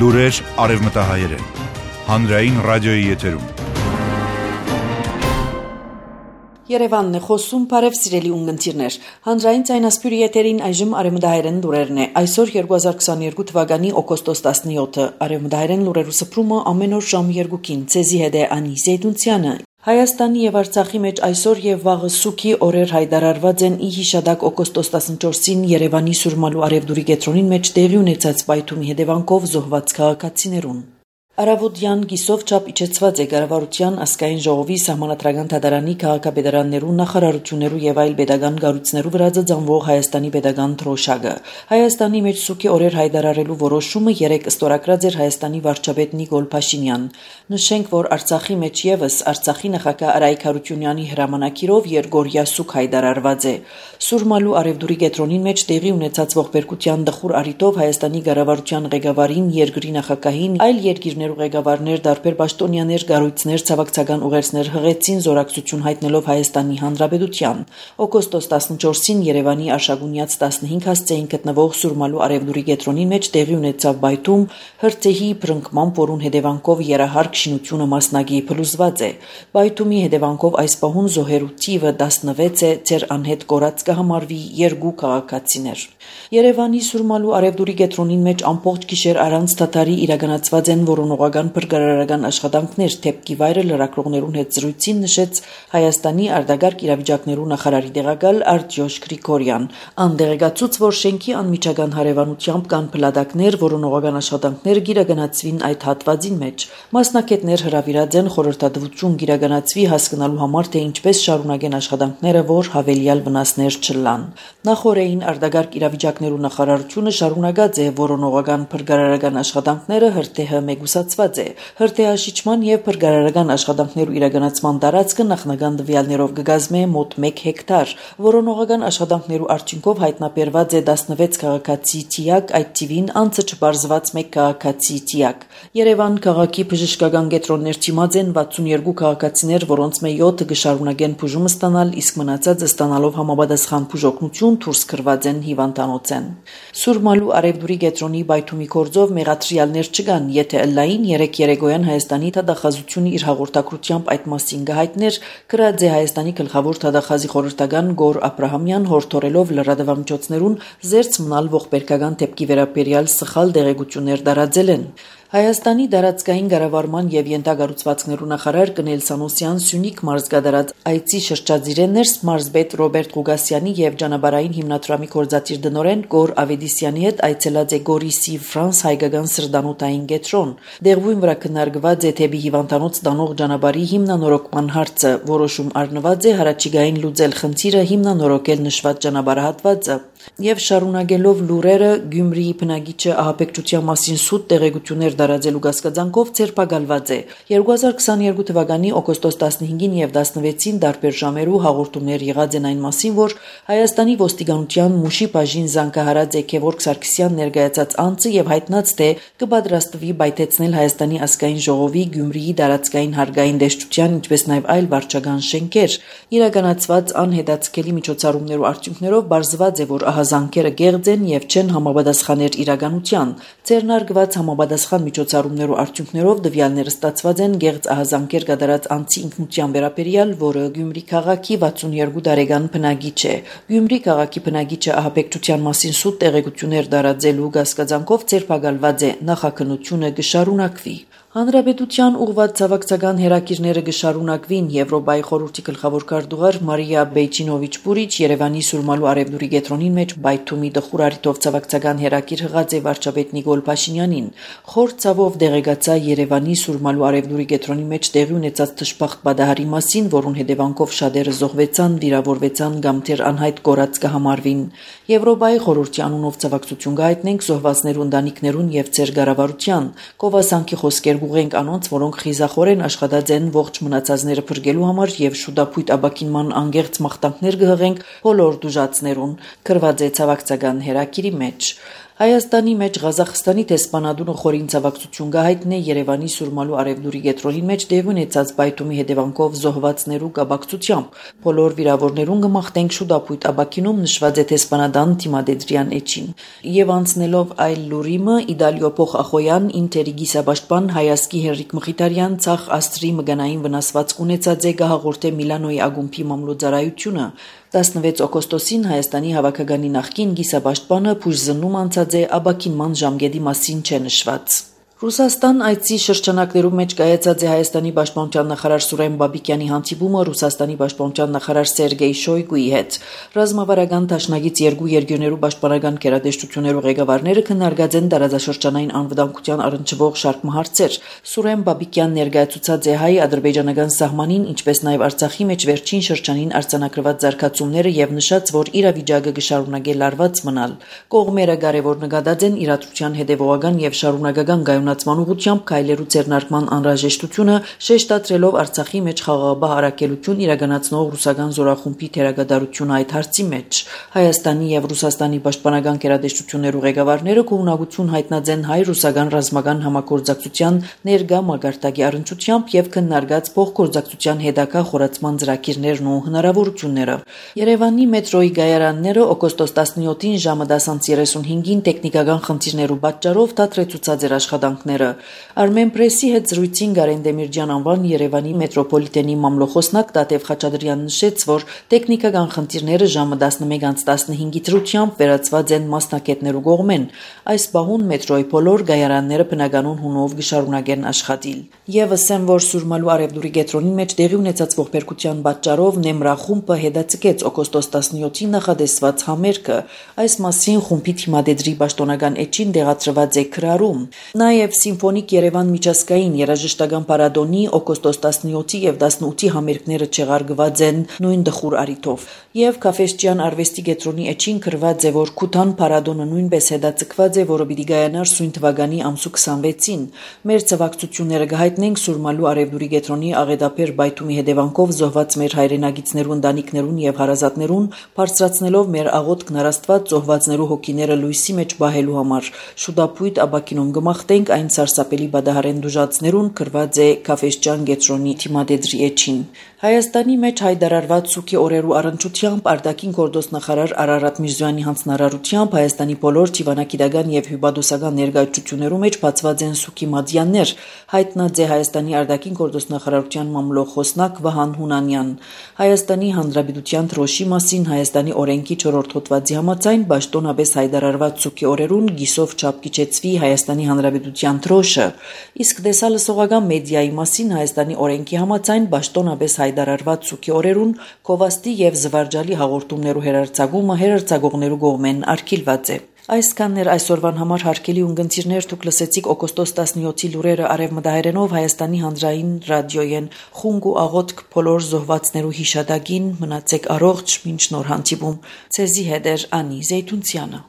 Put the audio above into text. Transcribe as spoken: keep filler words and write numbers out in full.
Լուրեր արևմտահայերեն, հանրային ռադիոյի եթերում։ Երևանն է խոսում, բարև սիրելի ունգընտիրներ։ Հանրային ցայնասպյուրի եթերին այժմ արևմտահայերեն լուրերն է։ Այսօր երկու հազար քսաներկու թվականի օգոստոս տասնյոթը արևմտահայերեն լուրերու սփռումը ամեն օր ժամ երկուքին ցեզի հետ է Անի Զեյդունցյանը։ Հայաստանի եւ Արցախի մեջ այսօր եւ վաղը սուքի օրեր հայտարարված են ի հիշադակ օգոստոս տասնչորսին Երևանի Սուրմալու Արևդուրի կենտրոնին մեջ տեղի ունեցած պայթումի հետևանքով զոհված քաղաքացիներուն։ Արավոտյան գիսով չափ իջեցված է Կառավարության ազգային ժողովի սահմանադրական դատարանի քաղաքապետարաններու նախարարություններու եւ այլ pedagogan կառույցներու վրա ծանվող Հայաստանի pedagogan թրոշակը։ Հայաստանի մեջ սուքի օրեր հայտարարելու որոշումը երեք ստորագրած էր Հայաստանի վարչապետ Նիկոլ Փաշինյան։ Նշենք, որ Արցախի մեջ եւս Արցախի նախագահ Արայք Հարությունյանի հրամանակիրով երկօրյա սուք հայտարարված է։ Սուրմալու Արևդուրի կենտրոնին մեջ տեղի ունեցած ողբերգության դխուր առիթով Հայաստանի Կառավարության ղեկավարին, երկրի նախագահին, այլ երկիրներ ղեկավարներ, դարբեր պաշտոնյաներ, կառույցներ, ցավակցական ուղերձներ հղեցին զորակցություն հայտնելով Հայաստանի Հանրապետության։ Օգոստոս տասնչորսին Երևանի Արշակունյաց տասնհինգ հասցեին գտնվող Սուրմալու Արևդուրի կենտրոնի մեջ տեղի ունեցավ պայթում, հրթեհի բռնկման որուն հետևանքով երահարկ շինությունը մասնագի փլուզված է։ Պայթումի հետևանքով այս պահուն զոհերու թիվը տասնվեց է, ծեր անհետ կորած կհամարվի երկու քաղաքացիներ։ Երևանի Սուրմալու Արևդուրի կենտրոնին մեջ ամբողջ գիշեր առանց դադարի իրականացված են որոնողական բրգարարական աշխատանքներ, թեփքի վայրը լրագրողներուն հետ զրույցին նշեց Հայաստանի արտագաղթ իրավիճակներու նախարարի տեղակալ Արտյոշ Գրիգորյան։ Անդերեկացուց, որ շենքի անմիջական հարևանությամբ կան փլատակներ, որոնողական աշխատանքները գիրականացվին այդ հատվածին մեջ։ Մասնակիցներ հրավիրած են խորհրդատվություն գիրականացվի հասկանալու համար, թե ինչպես շարունակեն աշխատանքները, որ հավելյալ վնասներ չլան։ Նախորդին արտագաղթ իրավիճակներու նախարարությունը շարունակած է որոնողական բրգարարական աշխատանքները հրթեհը մեգուսացված է։ Հրթեհաշիճման եւ բրգարարական աշխատանքներու իրականացման տարածքը նախնական տվյալներով կգազմե մոտ մեկ հեկտար։ Որոնողական աշխատանքներու արդյունքով հայտնաբերված է տասնվեց քաղաքացի տիակ, այդ թիվին անցը չբարձված մեկ քաղաքացի տիակ։ Երևան քաղաքի բժշկական կենտրոններ դիմաց են վաթսունյոթ քաղաքացիներ, որոնց մե յոթը կշարունակեն բուժում ստանալ, իսկ մնացածը ստանալով համապատասխան բուժօգնություն դուրս կրված են հիվանդանոցեն։ Սուրմալու Արևդուրի կենտրոնի պայթումի կորձով մեղադրյալներ չկան, եթե ըլլային երեք երեկոյան Հայաստանի դատախազությունը իր հաղորդակցությամբ այդ մասին կհայտներ, գրած է Հայաստանի գլխավոր դատախազի խորհրդական Գոր Աբրահամյան, հորդորելով լրատվամիջոցներուն զերծ մնալ ողբերգական դեպքի վերաբերյալ սխալ տեղեկություններ տարածել են։ Հայաստանի դարածքային կառավարման եւ յենթագառուցվածքներու նախարար Կնել Սանոսյան Սյունիք մարզգադարած այցի շրջածիրեններ մարզպետ Ռոբերտ Ղուգասյանի եւ ճանապարհային հիմնադրամի կորզատիր դնորեն Գոր Ավեդիսյանի հետ այցելած է Գորիսի Ֆրանս հայկական սրդանոթային կենտրոն։ Դեղույն վրա քննարկված է թեպի հիվանդանոց տանող ճանապարհի հիմնանորոգման հարցը, որոշում առնված է հարաճիգային լուծել խնդիրը հիմնանորոգել նշված ճանապարհահատվածը եւ շարունակելով լուրերը Գյումրիի բնակիչը ահաբեկչության մասին սուտ տեղեկություններ տարածելու գասկածանքով ցերպակալված է։ երկու հազար քսաներկու թվականի օգոստոս տասնհինգին եւ տասնվեցին տարբեր ժամերու հաղորդումներ եղած են այն մասին, որ Հայաստանի ոստիկանության Մուշի բաժին զանգահարած է Գևորգ Սարգսյան ներկայացած անձը եւ հայտնած թե կպատրաստվի բայթեցնել Հայաստանի ազգային ժողովի Գյումրիի դարածքային հարգային դեշտության, ինչպես նաեւ այլ վարչական շենքեր։ Իրականացված անհետացկելի միջոցառումներու արդյունքներով բարձված է, որ ահազանգերը գեղձ են եւ չեն համապատասխաներ իրականության։ Ձեռնարկված համապատասխան միջոցառումներու արդյունքներով տվյալները ստացված են գեղձ ահազանգեր կատարած անձի ինքնության վերաբերյալ, որը Գյումրի քաղաքի վաթսունյոթ տարեկան բնակիչ է։ Գյումրի քաղաքի բնակիչը ահաբեկչության մասին սուտ տեղեկություններ տարածելու գասկածանքով ցերպակալված է, նախաքննությունը կշարունակվի։ Հանրապետության ուղղված ցավակցական հերակիրները կշարունակվին Եվրոպայի խորհրդի գլխավոր քարտուղար Մարիա Բեյչինովիչ Պուրիչ Երևանի Սուրմալու Արևդուրի կենտրոնի մեջ բայթումի դխուր առիթով ցավակցական հերակիր հղած է վարչապետ Նիկոլ Փաշինյանին։ Խոր ցավով դեղեկացա Երևանի Սուրմալու Արևդուրի կենտրոնի մեջ տեղի ունեցած թշպախտ պատահարի մասին, որուն հետևանքով շատերը զոհվեցան, վիրավորվեցան կամ թեր անհայտ կորած կհամարվին։ Եվրոպայի խորհրդի անունով ցավակցություն կհայտնենք զոհվածներու ընտանիքներուն եւ ծեր կառավարության։ Կովասանքի խոսքեր գուղենք անոնց, որոնք խիզախորեն աշխատած են ողջ մնացածները փրկելու համար եւ շուտապույտ աբակինման անգերց մաղթանքներ կհղենք բոլոր դուժացներուն, գրված է ցավակցական հերակիրի մեջ։ Հայաստանի մեջ Ղազախստանի տեսփանադունը խորին ցավակցություն գահիտնե Երևանի Սուրմալու Արևդուրի գետրոնի մեջ դեղի ունեցած բայթումի հետևանքով զոհվածներու կապակցությամբ բոլոր վիրավորներուն գմախտենք շուտապույտ աբակինում նշված է տեսփանադան Թիմադեդրյան էջին եւ անցնելով այլ լուրիմը Իդալիո Փոխախոյան Ինտերի գիսաբաշտպան Հայասկի Հենրիկ Մխիթարյան ցախ աստրի մգանային վնասվածք ունեցած է գահաղորդե Միլանոյի ագումբի մամլոյձարայությունը տասնվեց օգոստոսին Հայաստանի հավաքականի նախկին գիսաբաշտպանը փուժզնում անցած է աբակինման ժամկետի մասին չէ նշված Ռուսաստան այցի շրջանակներում մեջ կայացած է Հայաստանի պաշտպանության նախարար Սուրեն Բաբիկյանի հանդիպումը Ռուսաստանի պաշտպանության նախարար Սերգեյ Շոյգուի հետ։ Ռազմավարական դաշնակից երկու երկրներու պաշտպանական կերադեշտություններու ղեկավարները քննարկած են տարածաշրջանային անվտանգության առնչվող շարք հարցեր։ Սուրեն Բաբիկյանն ներկայացուցած է հայ-ադրբեջանական սահմանին, ինչպես նաև Արցախի մեջ վերջին շրջանին արձանագրված զարգացումները եւ նշած, որ իրավիճակը կշարունակի լարված մնալ։ Կողմերը կարևոր նկատած են իրադրության հետևողական եւ շարունակական գայուն ուղղությամբ քայլերու ձեռնարկման անհրաժեշտությունը շեշտադրելով Արցախի մեջ խաղաղաբահ առաքելություն իրականացնող ռուսական զորախումբի թերագադարությունը այդ հարցի մեջ Հայաստանի եւ Ռուսաստանի պաշտպանական կերադեշտություններու ղեկավարները կողմնակություն հայտնած են հայ-ռուսական ռազմական համագործակցության ներկա մակարդակի առնչությամբ եւ քննարկած փոխգործակցության հետագա խորացման ծրագիրներն ու հնարավորությունները Երևանի մետրոյի գայարանները օգոստոս տասնյոթին ժամը դասանց երեսունհինգին տեխնիկական խնդիրներու պատճառով դադրեցուցած էր աշխատանք Armen Press-ի հետ զրույցին Գարեն Դեմիրճյան անվան Երևանի մետրոպոլիտենի մամլոխոսնակ Տատև Խաչատրյանն նշեց, որ տեխնիկական խնդիրները ժամը տասնմեկ տասնհինգի դրությամբ վերացված են մասնակետներու կողմեն։ Այս բահուն մետրոյի բոլոր գայարանները բնականon հունով կշարունակեն աշխատել։ Եվ ասեմ, որ Սուրմալու Արևդուրի գետրոնի մեջ տեղի ունեցած ողբերգության պատճառով Նեմրախումբը հետաձգեց օգոստոս տասնյոթին նախադեсված համերգը։ Այս մասին խումբի Թիմադեդրի պաշտոնական էջին դեղացրված է քրարում։ Նաև Սիմֆոնիկ Երևան միջազգային երաժշտական պարադոնի օգոստոս տասնյոթի եւ տասնութի համերգները չեղարկված են նույն դխուր արիթով եւ Քաֆեստյան արվեստի գետրոնի էջին գրված է որ Քութան պարադոնը նույնպես հետաձգված է որը պիտի գայանար սույն թվականի ամսու քսանվեցին մեր ցավակցությունները կհայտնենք Սուրմալու Արևդուրի գետրոնի աղետաբեր բայթումի հետևանքով զոհված մեր հայրենագիտներու ընտանիքներուն եւ հարազատներուն բարձրացնելով մեր աղոթքն Աստված զոհվածներու հոգիները լույսի մեջ բահելու համար շուտապույտ աբակինում գմախտենք այն սարսափելի բադահարեն դուժածներուն գրված է Քաֆեստյան գետրոնի Թիմադեդրի էջին Հայաստանի մեջ հայտարարված սուքի օրերու առընչությամբ արտաքին գործոստ նախարար Արարատ Միրզոյանի հանձնարարությամբ Հայաստանի բոլոր դիվանագիտական եւ հյուպատոսական ներկայացություններու մեջ բացված են սուքի մատյաններ հայտնած է Հայաստանի արտաքին գործոստ նախարարության մամլոխոսնակ Վահան Հունանյան Հայաստանի Հանրապետության դրոշի մասին Հայաստանի օրենքի չորրորդ հոդվածի համաձայն պաշտոնապես հայտարարված սուքի օրերուն գիսով չափ կիչեցվի Հայաստանի Հանրապետության դրոշը իսկ դեսալսողական մեդիայի մասին Հայաստանի օրենքի համաձայն պաշտոնապես հայտարարված սուքի օրերուն կովաստի եւ զվարճալի հաղորդումներու հերարցակումը հերարցակողներու կողմեն արգելված է Այսքաններ այսօրվան համար հարգելի ունգընտիրներ դուք լսեցիք օգոստոս տասնյոթի լուրերը արևմտահայերենով Հայաստանի հանրային ռադիոյեն խունգ ու աղոթք բոլոր զոհվածներու հիշատակին մնացեք առողջ մինչ նոր հանդիպում ցեզի հետ էր Անի Զեյթունցյանը